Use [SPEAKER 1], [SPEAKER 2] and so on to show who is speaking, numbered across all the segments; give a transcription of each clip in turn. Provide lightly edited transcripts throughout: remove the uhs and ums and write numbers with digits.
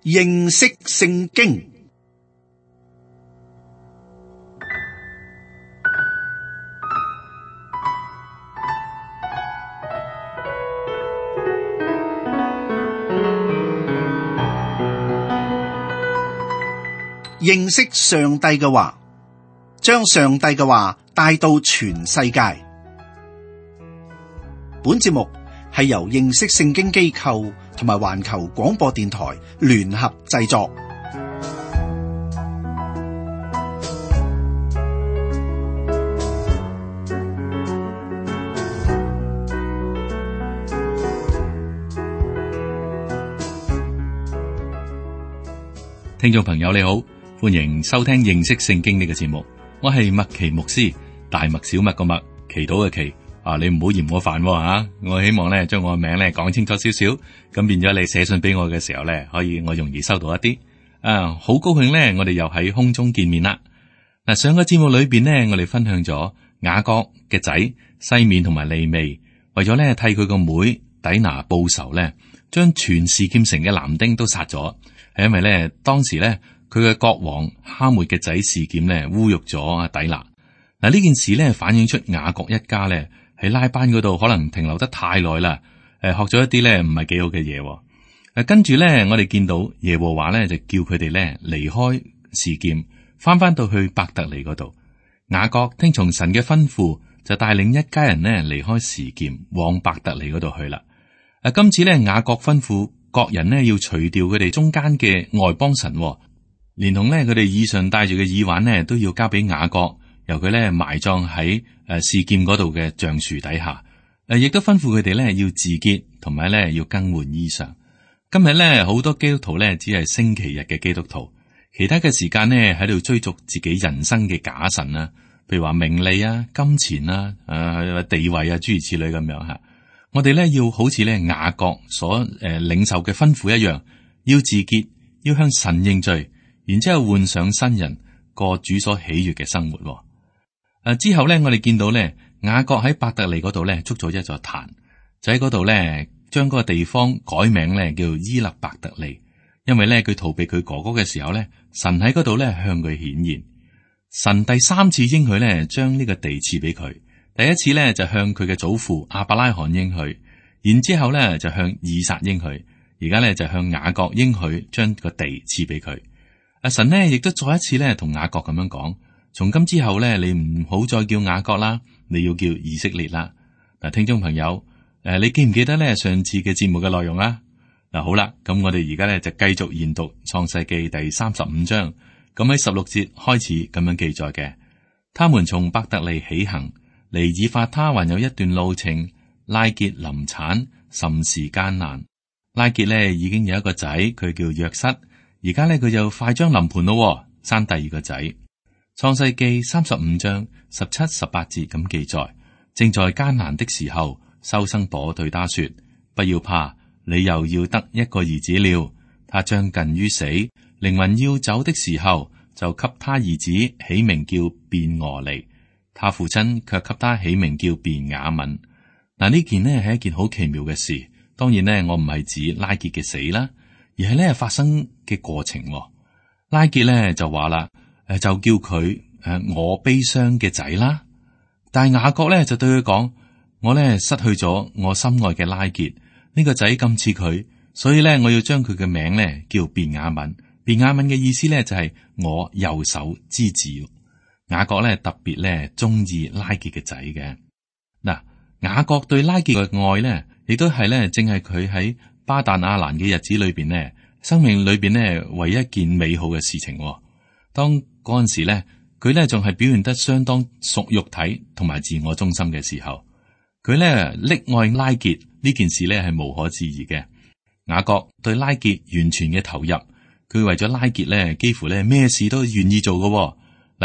[SPEAKER 1] 認識聖經。認識上帝嘅話，將上帝嘅話帶到全世界。本節目係由認識聖經機構同埋環球廣播電台聯合製作。
[SPEAKER 2] 聽眾朋友你好，歡迎收聽認識聖經呢個節目。我係麥奇牧師，大麥小麥個麥，祈禱嘅祈。你唔好嫌我煩吓，我希望咧將我嘅名咧講清楚少少，咁變咗你寫信俾我嘅時候咧，可以我容易收到一啲。好高興咧，我哋又喺空中見面啦。嗱，上個節目裏邊呢，我哋分享咗雅各嘅仔西面同埋利未，為咗咧替佢個妹底拿報仇咧，將全示劍城嘅男丁都殺咗，係因為咧當時咧佢嘅國王哈末嘅仔示劍咧侮辱咗阿底拿。嗱，呢件事咧反映出雅各一家咧喺拉班嗰度可能停留得太耐啦，學咗一啲咧唔係幾好嘅嘢。跟住咧，我哋見到耶和華咧就叫佢哋咧離開示劍，翻到去伯特利嗰度。雅各聽從神嘅吩咐，就帶領一家人咧離開示劍，往伯特利嗰度去啦。今次咧雅各吩咐各人呢要除掉佢哋中間嘅外邦神，連同咧佢哋以上戴住嘅耳環呢都要交俾雅各，由佢咧埋葬喺示劍嗰度嘅橡樹底下。亦都吩咐佢哋咧要自潔，同埋咧要更換衣裳。今日咧好多基督徒咧只係星期日嘅基督徒，其他嘅時間呢喺度追逐自己人生嘅假神啊，譬如話名利啊、金錢啊、地位啊諸如此類咁樣吓。我哋咧要好似咧雅各所領受嘅吩咐一樣，要自潔，要向神認罪，然之後換上新人，過主所喜悅嘅生活。之後咧，我哋見到咧雅各喺伯特利嗰度咧築咗一座壇，就喺嗰度咧將嗰個地方改名咧叫伊勒伯特利，因為咧佢逃避佢哥哥嘅時候咧，神喺嗰度咧向佢顯現。神第三次應許咧將呢個地賜俾佢，第一次咧就向佢嘅祖父亞伯拉罕應許，然之後咧就向以撒應許，而家咧就向雅各應許將個地賜俾佢。神呢亦都再一次咧同雅各咁樣講。從今之後咧，你唔好再叫雅各啦，你要叫以色列啦。嗱，聽眾朋友，你記唔記得咧上次嘅節目嘅內容啦？嗱，好啦，咁我哋而家咧就繼續研讀創世記第35章。咁喺16節開始咁樣記載嘅，他們從伯特利起行，離以法他還有一段路程。拉結臨產，甚是艱難。拉結咧已經有一個仔，佢叫約瑟，而家咧佢就快將臨盆咯，生第二個仔。創世記35章17、18節咁記載，正在艱難的時候，收生婆對他說：不要怕，你又要得一個兒子了。他將近於死，靈魂要走的時候，就給他兒子起名叫便俄利。他父親卻給他起名叫便雅憫。嗱，呢件呢係一件好奇妙嘅事。當然呢，我唔係指拉結嘅死啦，而係呢發生嘅過程。拉結呢就話啦。就叫佢我悲傷嘅仔啦，但係雅各咧就對佢講：我咧失去咗我心愛嘅拉結，呢個仔咁似佢，所以咧我要將佢嘅名咧叫便雅憫。便雅憫嘅意思咧就係我右手之子。雅各咧特別咧中意拉結嘅仔嘅。嗱，雅各對拉結嘅愛咧，亦都係咧正係佢喺巴旦亞蘭嘅日子裏邊咧，生命裏邊咧唯一一件美好嘅事情。當嗰陣時咧，佢咧仲係表現得相當屬肉體同埋自我中心嘅時候，佢咧溺愛拉結呢件事咧係無可置疑嘅。雅各對拉結完全嘅投入，佢為咗拉結咧，幾乎咧咩事都願意做嘅。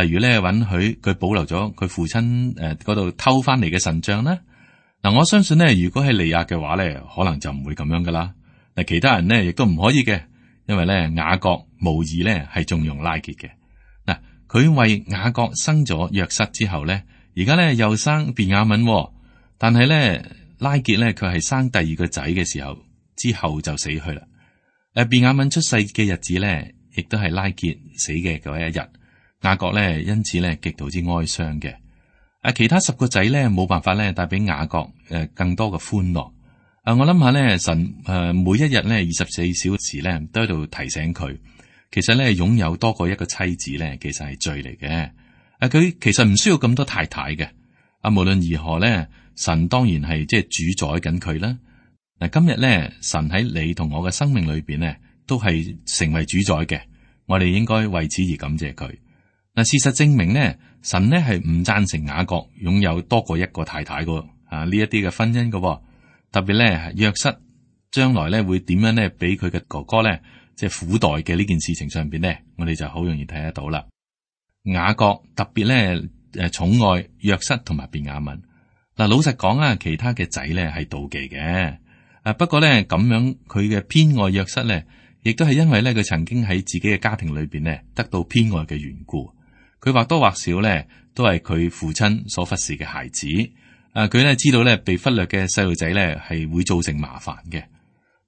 [SPEAKER 2] 例如咧允許佢保留咗佢父親嗰度偷翻嚟嘅神像啦。嗱，我相信咧，如果係利亞嘅話咧，可能就唔會咁樣噶啦。嗱，其他人咧亦都唔可以嘅，因為咧雅各無疑咧係縱容拉結嘅。嗱，佢為雅各生咗約瑟之後咧，而家咧又生便雅憫，但係咧拉結咧佢係生第二個仔嘅時候之後就死去啦。便雅憫出世嘅日子咧，亦都係拉結死嘅嗰一日。雅各咧因此咧極度之哀傷嘅。其他10個仔咧冇辦法咧帶俾雅各更多嘅歡樂。我諗下咧，神每一日咧24小時咧都喺度提醒佢，其實咧擁有多過一個妻子咧，其實係罪嚟嘅。佢其實唔需要咁多太太嘅。無論如何咧，神當然係即係主宰緊佢啦。今日咧，神喺你同我嘅生命裏邊咧，都係成為主宰嘅。我哋應該為此而感謝佢。事實證明咧，神咧係唔贊成雅各擁有多過一個太太嘅呢一啲嘅婚姻嘅。特別咧，約瑟將來咧會點樣咧俾佢嘅哥哥咧，即係苦待嘅呢件事情上邊咧，我哋就好容易睇得到啦。雅各特別咧寵愛約瑟同埋便雅憫。老實講啊，其他嘅仔咧係妒忌嘅。不過咧咁樣佢嘅偏愛約瑟咧，亦都係因為咧佢曾經喺自己嘅家庭裏邊咧得到偏愛嘅緣故。佢或多或少咧都係佢父親所忽視嘅孩子。佢咧知道咧被忽略嘅細路仔咧係會造成麻煩嘅。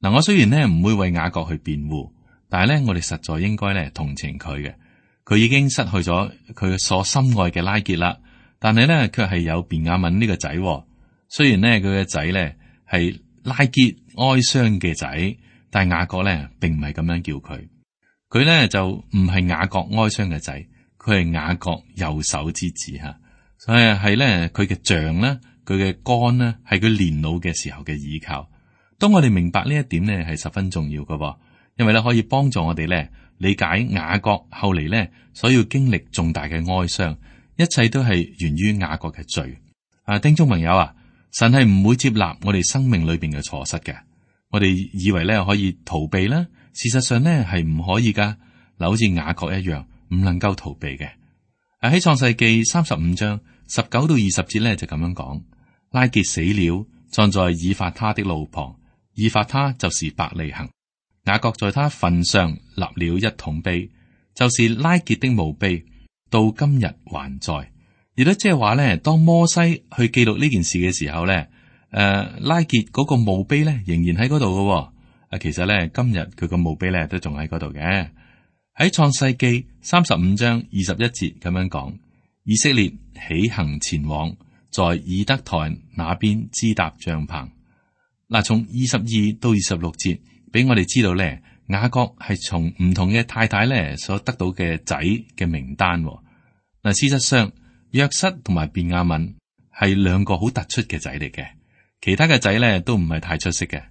[SPEAKER 2] 我雖然咧唔會為雅各去辯護，但係咧我哋實在應該咧同情佢嘅。佢已經失去咗佢所深愛嘅拉結啦，但係咧卻係有便雅憫呢個仔。雖然咧佢嘅仔咧係拉結哀傷嘅仔，但係雅各咧並唔係咁樣叫佢。佢咧就唔係雅各哀傷嘅仔，佢係雅各右手之子吓，所以係咧佢嘅杖啦，佢嘅竿啦，係佢年老嘅時候嘅依靠。當我哋明白呢一點咧，係十分重要嘅，因為咧可以幫助我哋咧理解雅各後嚟咧所要經歷重大嘅哀傷，一切都係源於雅各嘅罪。聽眾朋友啊，神係唔會接納我哋生命裏邊嘅錯失嘅。我哋以為咧可以逃避啦，事實上咧係唔可以噶。好似雅各一樣，唔能夠逃避嘅。喺創世記35章19到20節咧就咁樣講：拉結死了，葬在以法他的路旁。以法他就是伯利恆。雅各在他墳上立了一桶碑，就是拉結的墓碑，到今日還在。亦都即係話咧，當摩西去記錄呢件事嘅時候咧，拉結嗰個墓碑咧仍然喺嗰度嘅。其實咧今日佢個墓碑咧都仲喺嗰度嘅。喺創世記35章21節咁樣講：以色列起行前往，在以德台那邊支搭帳篷。從22到26節俾我哋知道咧，雅各係從唔同嘅太太咧所得到嘅仔嘅名單。事實上約瑟同埋便雅憫係兩個好突出嘅仔嚟嘅，其他嘅仔咧都唔係太出色嘅。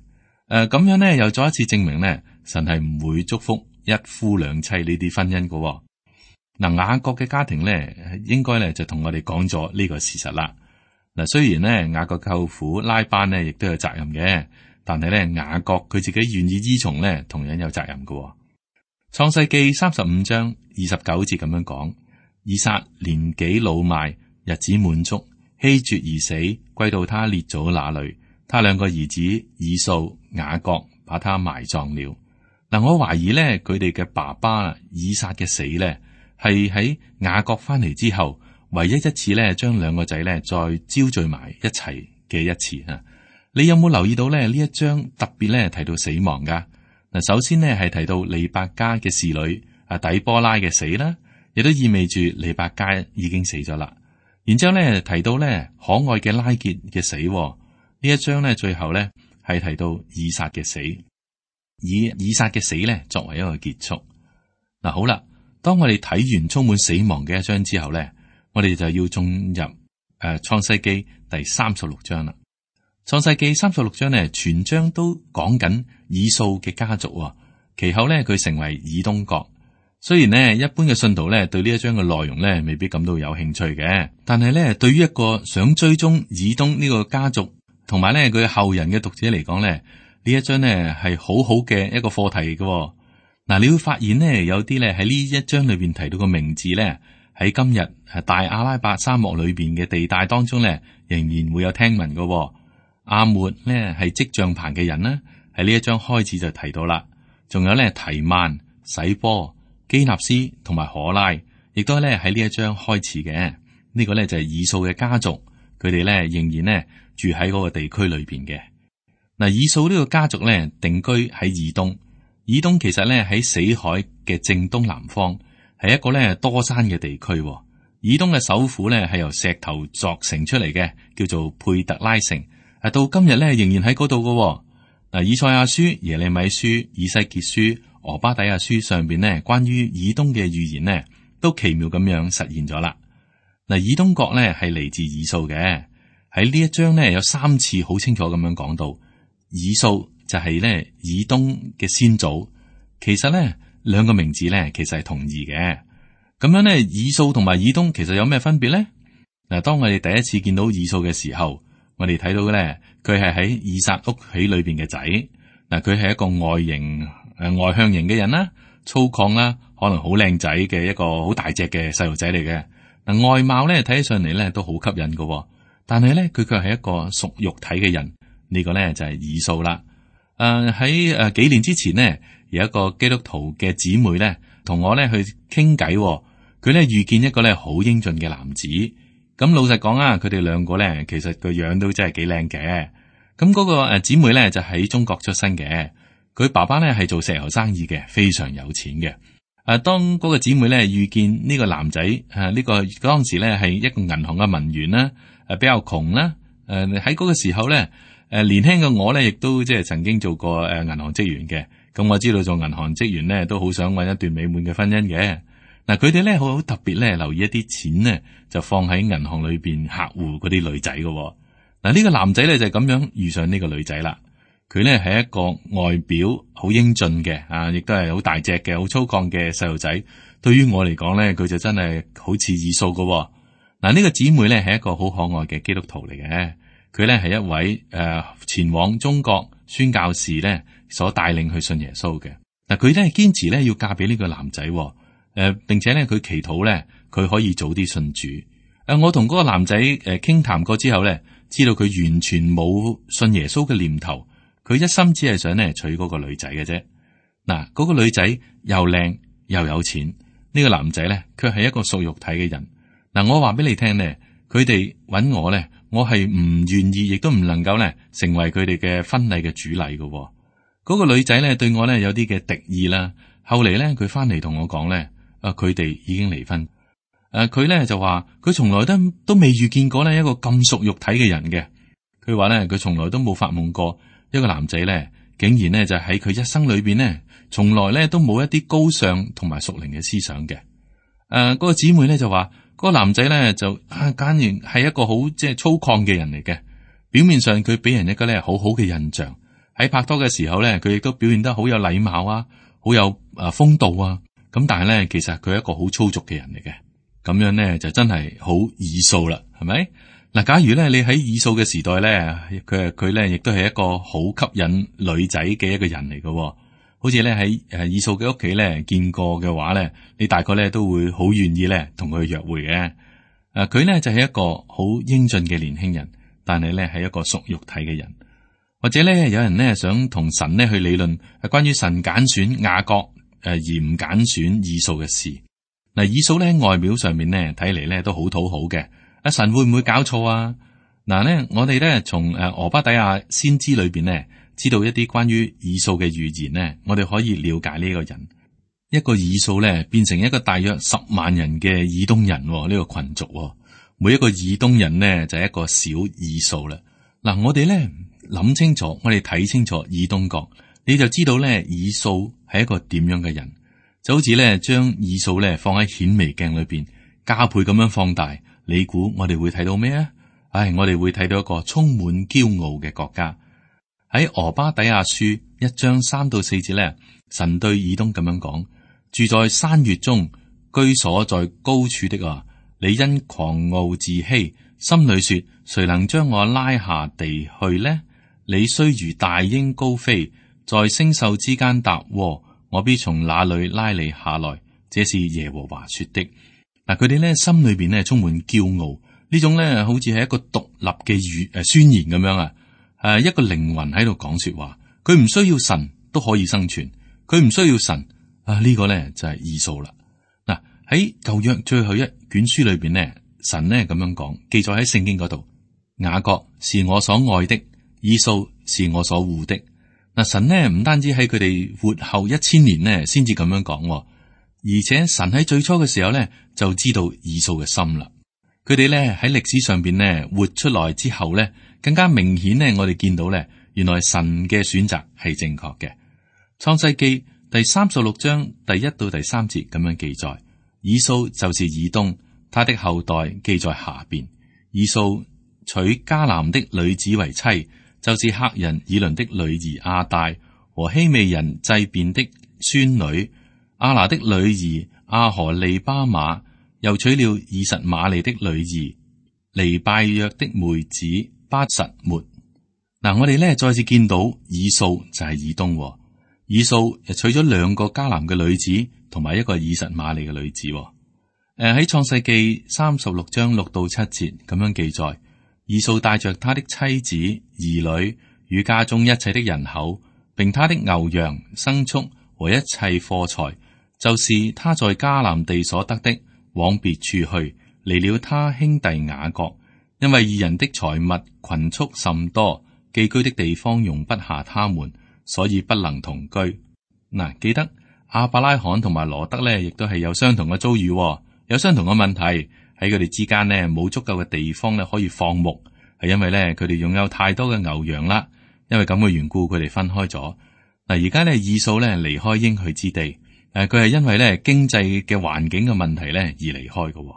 [SPEAKER 2] 咁樣咧又再一次證明咧，神係唔會祝福一夫兩妻呢啲婚姻嘅。雅各嘅家庭咧，應該咧就同我哋講咗呢個事實啦。雖然咧雅各舅父拉班咧亦都有責任嘅，但係咧雅各佢自己願意依從咧，同樣有責任嘅。創世記35章29節咁樣講：以撒年紀老邁，日子滿足，氣絕而死，歸到他列祖那裏。他兩個兒子以掃、雅各把他埋葬了。我懷疑咧佢哋嘅爸爸以撒嘅死咧，係喺雅各翻嚟之後，唯一一次咧將兩個仔咧再招聚埋一齊嘅一次啊！你有冇留意到咧呢一章特別咧提到死亡噶？首先呢係提到利百加嘅侍女底波拉嘅死啦，亦都意味住利百加已經死咗啦。然之後咧提到咧可愛嘅拉結嘅死，呢一章咧最後咧係提到以撒嘅死，以以撒嘅死咧作為一個結束。好啦，當我哋睇完充滿死亡嘅一章之後咧，我哋就要進入創世記第36章啦。創世記36章呢，全章都講緊以掃嘅家族，其後咧佢成為以東國。雖然呢，一般嘅信徒咧對呢一章嘅內容咧未必感到有興趣嘅，但係咧對於一個想追蹤以東呢個家族同埋咧佢後人嘅讀者嚟講咧，呢一章呢係好好嘅一個課題嘅。你會發現呢，有啲咧喺呢一章裏邊提到個名字咧，喺今日大阿拉伯沙漠裏邊嘅地帶當中咧，仍然會有聽聞嘅。阿末咧係織帳棚嘅人啦，喺呢一章開始就提到啦。仲有咧提曼、洗波、基納斯同埋可拉，亦都咧喺呢一章開始嘅。呢個咧就係以掃嘅家族，佢哋咧仍然咧住喺嗰個地區裏邊嘅。以掃呢個家族咧定居喺以東，以東其實咧喺死海嘅正東南方，係一個咧多山嘅地區。以東嘅首府咧係由石頭鑿成出嚟嘅，叫做佩特拉城。到今日咧仍然喺嗰度嘅。嗱，以賽亞書、耶利米書、以西結書、俄巴底亞書上邊呢，關於以東嘅預言呢，都奇妙咁樣實現咗啦。嗱，以東國咧係嚟自以掃嘅。喺呢一章呢，有3次好清楚咁樣講到，以掃就係咧以東嘅先祖。其實咧兩個名字咧其實係同義嘅。咁樣咧，以掃同埋以東其實有咩分別咧？嗱，當我哋第一次見到以掃嘅時候，我哋睇到咧，佢係喺以撒屋企裏邊嘅仔。嗱，佢係一個外向型嘅人啦，粗獷啦，可能好靚仔嘅一個好大隻嘅細路仔嚟嘅。嗱，外貌咧睇起上嚟咧都好吸引嘅，但係咧佢卻係一個屬肉體嘅人。呢個咧就係以掃啦。喺幾年之前呢，有一個基督徒嘅姊妹咧同我咧去傾偈。佢咧遇見一個咧好英俊嘅男子。咁老實講啊，佢哋兩個咧其實個樣都真係幾靚嘅。咁嗰個姊妹咧就喺中國出身嘅，佢爸爸咧係做石油生意嘅，非常有錢嘅。當嗰個姊妹咧遇見呢個男仔，呢個當時咧係一個銀行嘅文員啦，比較窮啦。喺嗰個時候咧，年輕嘅我咧亦都即係曾經做過銀行職員嘅。咁我知道做銀行職員咧都好想搵一段美滿嘅婚姻嘅。嗱，佢哋咧好特別咧，留意一啲錢呢，就放喺銀行裏邊客戶嗰啲女仔嘅。嗱，呢個男仔咧就咁樣遇上呢個女仔啦。佢咧係一個外表好英俊嘅，亦都係好大隻嘅、好粗獷嘅細路仔。對於我嚟講咧，佢就真係好似以掃嘅。嗱，呢個姊妹咧係一個好可愛嘅基督徒嚟嘅。佢咧係一位前往中國宣教士咧所帶領去信耶穌嘅。嗱，佢咧堅持咧要嫁俾呢個男仔。並且咧，佢祈禱咧，佢可以早啲信主。我同嗰個男仔傾談過之後咧，知道佢完全冇信耶穌嘅念頭，佢一心只係想咧娶嗰個女仔嘅啫。嗱，嗰個女仔又靚又有錢，呢個男仔咧卻係一個屬肉體嘅人。嗱，我話俾你聽咧，佢哋揾我咧，我係唔願意，亦都唔能夠咧成為佢哋嘅婚禮嘅主禮嘅。嗰個女仔咧對我咧有啲嘅敵意啦。後嚟咧，佢翻嚟同我講咧。佢哋已經離婚。佢咧就話佢從來都未遇見過呢一個咁屬肉體嘅人嘅。佢話咧佢從來都冇發夢過一個男仔咧，竟然咧就喺佢一生裏邊咧，從來咧都冇一啲高尚同埋屬靈嘅思想嘅。嗰個姊妹咧就話嗰個男仔咧就簡直係一個好即係粗獷嘅人嚟嘅。表面上佢俾人一個咧好好嘅印象，喺拍拖嘅時候咧，佢亦都表現得好有禮貌啊，好有風度啊。咁但係咧，其實佢係一個好粗俗嘅人嚟嘅，咁樣咧就真係好以掃啦，係咪？嗱，假如咧你喺以掃嘅時代咧，佢咧亦都係一個好吸引女仔嘅一個人嚟嘅，好似咧喺以掃嘅屋企咧見過嘅話咧，你大概咧都會好願意咧同佢約會嘅。佢咧就係一個好英俊嘅年輕人，但係咧係一個屬肉體嘅人，或者咧有人咧想同神咧去理論係關於神揀選雅各而唔揀選以掃嘅事。嗱，以掃咧外表上面咧睇嚟咧都好討好嘅。神會唔會搞錯啊？嗱咧，我哋咧從俄巴底亞先知裏邊咧知道一啲關於以掃嘅預言咧，我哋可以了解呢個人。一個以掃咧變成一個大約10萬人嘅以東人呢個群族，每一個以東人呢就係一個小以掃啦。嗱，我哋咧諗清楚，我哋睇清楚以東國，你就知道咧以掃係一個點樣嘅人，就好似咧將以掃咧放喺顯微鏡裏邊加倍咁樣放大，你估我哋會睇到咩啊？我哋會睇到一個充滿驕傲嘅國家。喺俄巴底亞書1章3到4節咧，神對以東咁樣講：住在山穴中，居所在高處的啊，你因狂傲自欺，心裏說：誰能將我拉下地去呢？你雖如大鷹高飛，在星宿之間搭窩，我必從那裏拉你下來。這是耶和華說的。嗱，佢哋咧心裏邊咧充滿驕傲，呢種咧好似係一個獨立嘅宣言咁樣啊！一個靈魂喺度講說話，佢唔需要神都可以生存，佢唔需要神呢個咧就係以掃啦。嗱，喺舊約最後一卷書裏邊咧，神咧咁樣講，記載喺聖經嗰度：雅各是我所愛的，以掃是我所惡的。嗱，神呢唔單止喺佢哋活後1000年呢先至咁樣講，而且神喺最初嘅時候呢就知道以掃嘅心啦。佢哋呢喺歷史上邊呢活出來之後呢，更加明顯呢，我哋見到呢，原來神嘅選擇係正確嘅。創世記第36章第1到第3節咁樣記載，以掃就是以東，他的後代記在下邊。以掃娶迦南的女子為妻，就是赫人以倫的女兒亞大和希未人祭便的孫女亞拿的女兒亞何利巴馬，又娶了以實瑪利的女兒尼拜約的妹子巴實末。嗱，我哋呢再次見到以掃就係以東，以掃又娶咗2個迦南嘅女子同埋一個以實瑪利嘅女子。喺創世記36章6到7節咁樣記載，以掃帶着他的妻子、兒女與家中一切的人口，並他的牛羊、牲畜和一切貨財，就是他在迦南地所得的，往別處去，離了他兄弟雅各，因為二人的財物群畜甚多，寄居的地方容不下他們，所以不能同居。嗱，記得亞伯拉罕同埋羅德呢，亦都係有相同嘅遭遇，有相同嘅問題。喺佢哋之間呢，冇足夠嘅地方咧可以放牧，係因為咧佢哋擁有太多嘅牛羊啦。因為咁嘅緣故，佢哋分開咗。嗱，而家咧以掃咧離開應許之地，佢係因為咧經濟嘅環境嘅問題咧而離開嘅。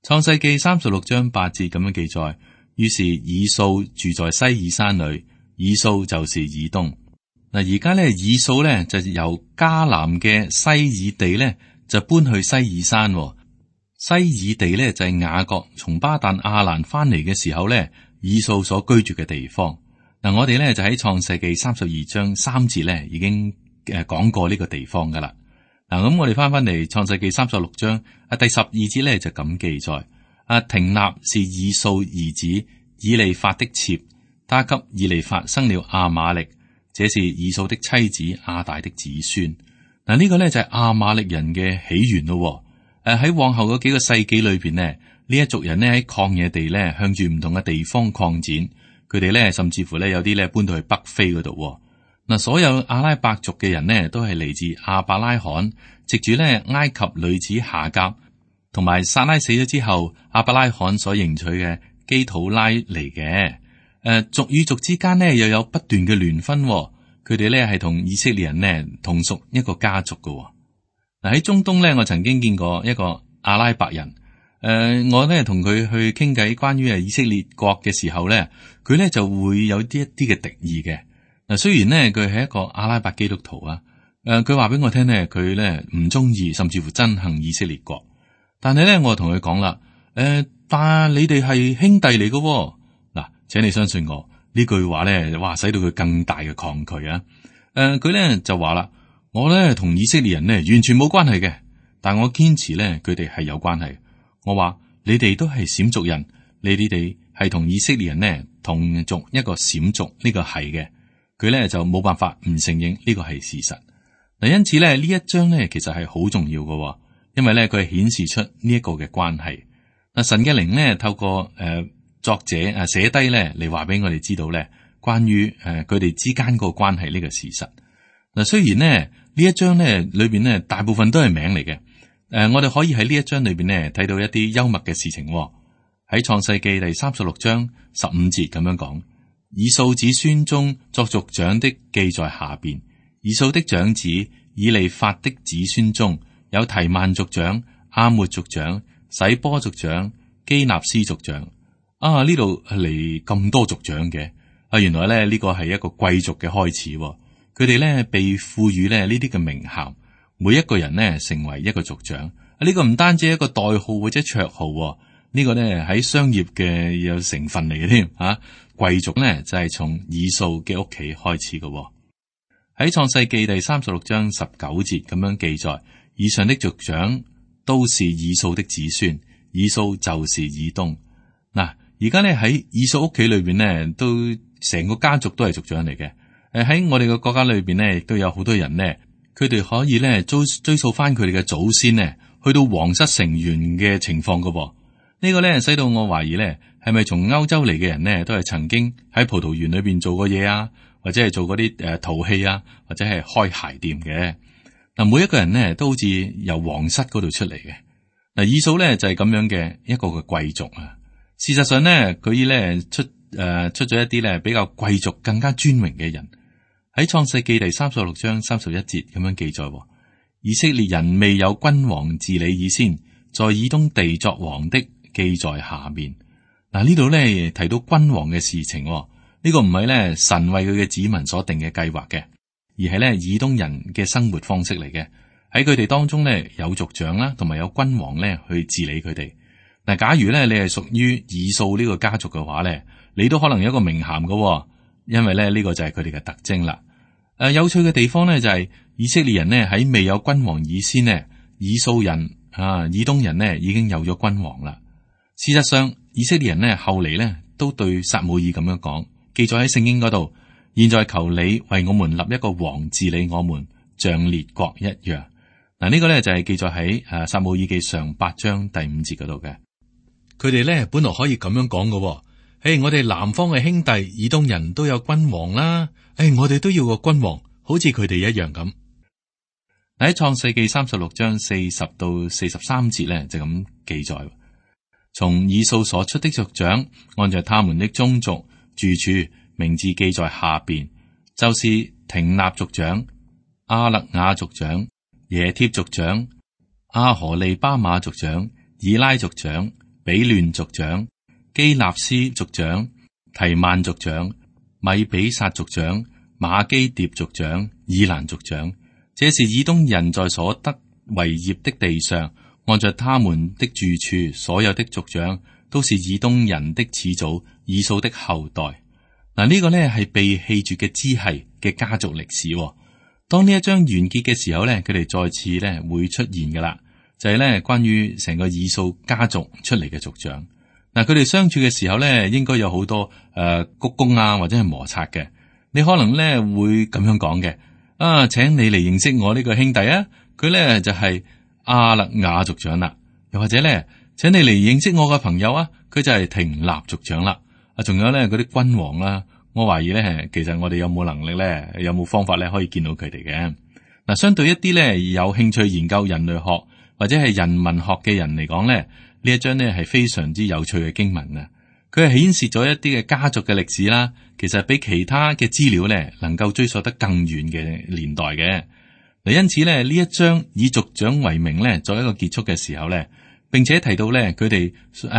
[SPEAKER 2] 創世記36章8節咁樣記載，於是以掃住在西珥山裏，以掃就是以東。嗱，而家咧以掃咧就由迦南嘅西珥地咧就搬去西珥山。西珥地咧就係雅各從巴旦亞蘭翻嚟嘅時候咧，以掃所居住嘅地方。嗱，我哋咧就喺創世記32章3節咧已經講過呢個地方噶啦。嗱，咁我哋翻嚟創世記36章第12節咧就咁記載：亭納是以掃兒子以利法的妾，他給以利法生了亞瑪力，這是以掃的妻子亞大的子孫。嗱，呢個咧就係亞瑪力人嘅起源咯。喺往後嗰幾個世紀裏邊呢，呢一族人呢喺曠野地咧向住唔同嘅地方擴展，佢哋咧甚至乎咧有啲咧搬到去北非嗰度。嗱，所有阿拉伯族嘅人呢都係嚟自亞伯拉罕，藉住咧埃及女子夏甲同埋撒拉死咗之後，亞伯拉罕所迎娶嘅基土拉嚟嘅。族與族之間呢又有不斷嘅聯婚，佢哋咧係同以色列人呢同屬一個家族㗎。嗱，喺中東咧，我曾經見過一個阿拉伯人。我咧同佢去傾偈關於以色列國嘅時候咧，佢咧就會有一啲嘅敵意嘅。嗱，雖然咧佢係一個阿拉伯基督徒啊，佢話俾我聽咧，佢咧唔中意，甚至乎憎恨以色列國。但係咧，我同佢講啦，但係你哋係兄弟嚟嘅。嗱，請你相信我呢句話咧，哇，使到佢更大嘅抗拒啊。佢咧就話啦。我咧同以色列人呢完全冇關係嘅，但我堅持咧佢哋係有關係。我話你哋都係閃族人，你哋係同以色列人呢同族一個閃族，呢個係嘅。佢咧就冇辦法唔承認呢個係事實。嗱，因此咧呢一章咧其實係好重要嘅，因為咧佢係顯示出呢一個嘅關係。嗱，神嘅靈咧透過作者寫低咧嚟話俾我哋知道咧關於佢哋之間個關係呢個事實。嗱，雖然呢一章咧裏邊咧大部分都係名嚟嘅，我哋可以喺呢一章裏邊咧睇到一啲幽默嘅事情。喺創世記第36章15節咁樣講：以掃子孫中作族長的記在下邊。以掃的長子以利法的子孫中有提曼族長、亞末族長、洗波族長、基納斯族長。呢度嚟咁多族長嘅，原來咧呢個係一個貴族嘅開始。佢哋咧被賦予咧呢啲嘅名銜，每一個人呢成為一個族長。呢個唔單止係一個代號或者綽號，呢個咧喺商業嘅有成分嚟嘅添。貴族咧就係從以掃嘅屋企開始嘅。喺創世記第36章19節咁樣記載，以上的族長都是以掃的子孫，以掃就是以東。嗱，而家咧喺以掃屋企裏邊呢，都成個家族都係族長嚟嘅。喺我哋嘅國家裏邊呢，亦都有好多人呢，佢哋可以咧追溯翻佢哋嘅祖先呢，去到皇室成員嘅情況噶噃。呢個咧使到我懷疑咧，係咪從歐洲嚟嘅人呢，都係曾經喺葡萄園裏邊做過嘢啊，或者係做嗰啲陶器啊，或者係開鞋店嘅。嗱，每一個人呢都好似由皇室嗰度出嚟嘅。嗱，以掃咧就係咁樣嘅一個嘅貴族啊。事實上呢，佢咧出咗一啲咧比較貴族、更加尊榮嘅人。喺創世記第36章31節咁樣記載，以色列人未有君王治理以先，在以東地作王的記在下面。嗱，呢度咧提到君王嘅事情，呢個唔係咧神為佢嘅子民所定嘅計劃嘅，而係咧以東人嘅生活方式嚟嘅。喺佢哋當中咧有族長啦，同埋有君王咧去治理佢哋。嗱，假如咧你係屬於以掃呢個家族嘅話咧，你都可能有一個名銜嘅，因為咧呢個就係佢哋嘅特徵啦。有趣嘅地方咧就係以色列人呢喺未有君王以先呢，以掃人以東人呢已經有咗君王啦。事實上，以色列人呢後嚟呢都對撒母耳咁樣講，記載喺聖經嗰度。現在求你為我們立一個王治理我們，像列國一樣。嗱，呢個咧就係記載喺撒母耳記上8章第5節嗰度嘅。佢哋咧本來可以咁樣講嘅，我哋南方嘅兄弟以東人都有君王啦，我哋都要個君王，好似佢哋一樣咁。喺創世記36章40到43節咧就咁記載，從以掃所出的族長，按照他們的宗族住處，名字記在下邊，就是廷納族長、亞勒雅族長、耶帖族長、阿荷利巴馬族長、以拉族長、比亂族長、基納斯族長、提曼族長、米比撒族長、馬基迭族長、以蘭族長。這是以東人在所得為業的地上，按照他們的住處，所有的族長都是以東人的始祖以掃的後代。嗱，呢個呢係被棄絕嘅支系嘅家族歷史。當呢一章完結嘅時候呢，佢哋再次呢會出現噶啦，就係呢關於成個以掃家族出嚟嘅族長。嗱，佢哋相處嘅時候呢，應該有好多鞠躬啊，或者係摩擦嘅。你可能呢會咁樣講嘅。請你嚟認識我呢個兄弟啊，佢咧就係亞勒雅族長啦。又或者咧，請你嚟認識我嘅朋友啊，佢就係廷納族長啦。仲有咧嗰啲君王啦，我懷疑咧，其實我哋有冇能力咧，有冇方法咧可以見到佢哋嘅。嗱，相對一啲咧有興趣研究人類學或者係人文學嘅人嚟講咧，呢一章咧係非常之有趣嘅經文啊。佢係顯示咗一啲嘅家族嘅歷史啦，其實比其他嘅資料咧能夠追溯得更遠嘅年代嘅。嗱，因此咧呢一章以族長為名咧作一個結束嘅時候咧，並且提到咧佢哋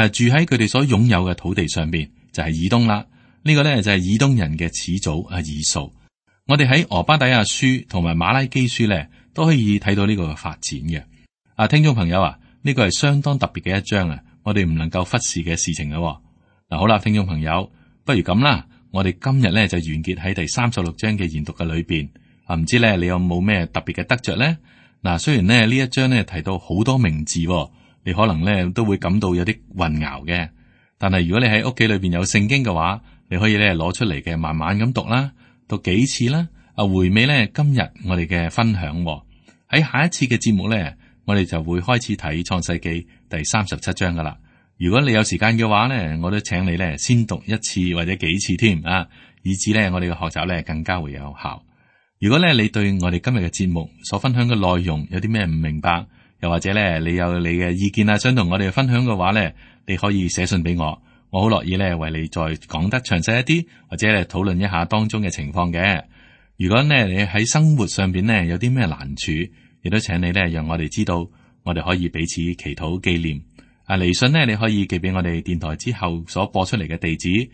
[SPEAKER 2] 住喺佢哋所擁有嘅土地上邊，就係以東啦。呢個咧就係以東人嘅始祖以掃。我哋喺俄巴底亞書同埋馬拉基書咧都可以睇到呢個嘅發展嘅。聽眾朋友啊，呢個係相當特別嘅一章啊，我哋唔能夠忽視嘅事情咯。嗱，好啦，聽眾朋友，不如咁啦，我哋今日咧就完結喺第36章嘅研讀嘅裏邊。唔知咧你有冇咩特別嘅得着咧？嗱，雖然咧呢一章咧提到好多名字，你可能咧都會感到有啲混淆嘅。但係如果你喺屋企裏邊有聖經嘅話，你可以咧攞出嚟嘅，慢慢咁讀啦，讀幾次啦。回味咧今日我哋嘅分享。喺下一次嘅節目咧，我哋就會開始睇創世記第37章噶啦。如果你有時間嘅話咧，我都請你咧先讀一次或者幾次添啊，以至咧我哋嘅學習咧更加會有效。如果咧你對我哋今日嘅節目所分享嘅內容有啲咩唔明白，又或者咧你有你嘅意見啊，想同我哋分享嘅話咧，你可以寫信俾我，我好樂意咧為你再講得詳細一啲，或者咧討論一下當中嘅情況嘅。如果咧你喺生活上邊咧有啲咩難處，亦都請你咧讓我哋知道，我哋可以彼此祈禱紀念。嚟信呢，你可以寄俾我哋電台之後所播出嚟嘅地址，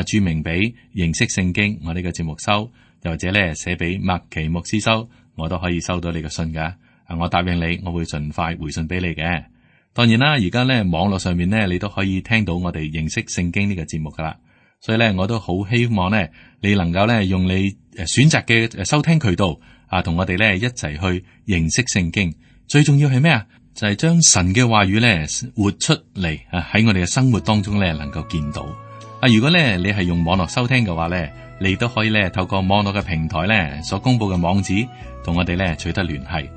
[SPEAKER 2] 注明俾認識聖經我呢個節目收，又或者咧寫俾麥奇牧師收，我都可以收到你嘅信噶。我答應你，我會盡快回信俾你嘅。當然啦，而家咧網絡上面咧，你都可以聽到我哋認識聖經呢個節目噶啦。所以咧，我都好希望咧，你能夠咧用你選擇嘅收聽渠道同我哋咧一齊去認識聖經。最重要係咩啊？就係將神嘅話語咧活出嚟喺我哋嘅生活當中咧能夠見到。如果咧你係用網絡收聽嘅話咧，你都可以咧透過網絡嘅平台咧所公布嘅網址同我哋咧取得聯繫。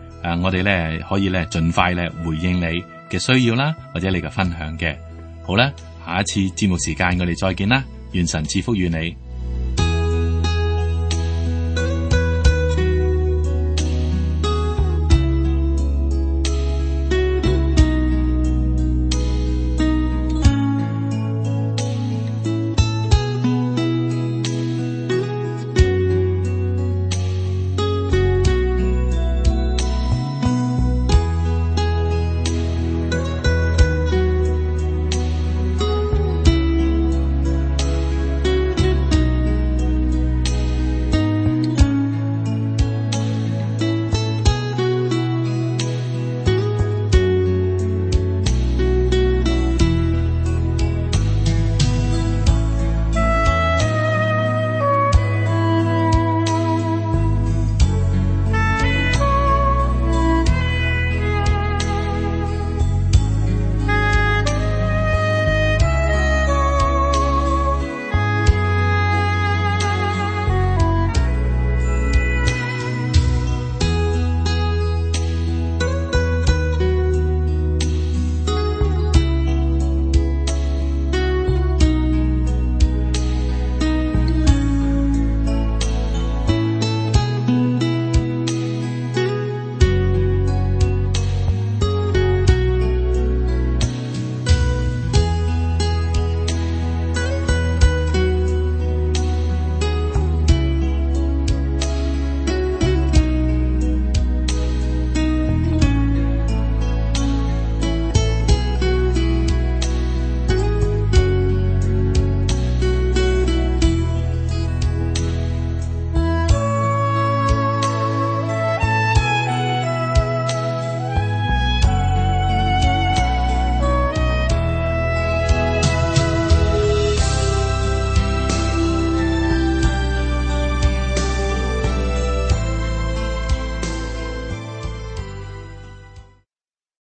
[SPEAKER 2] 我哋咧可以咧盡快咧回應你嘅需要啦，或者你嘅分享嘅。好啦，下一次節目時間我哋再見啦，願神賜福與你。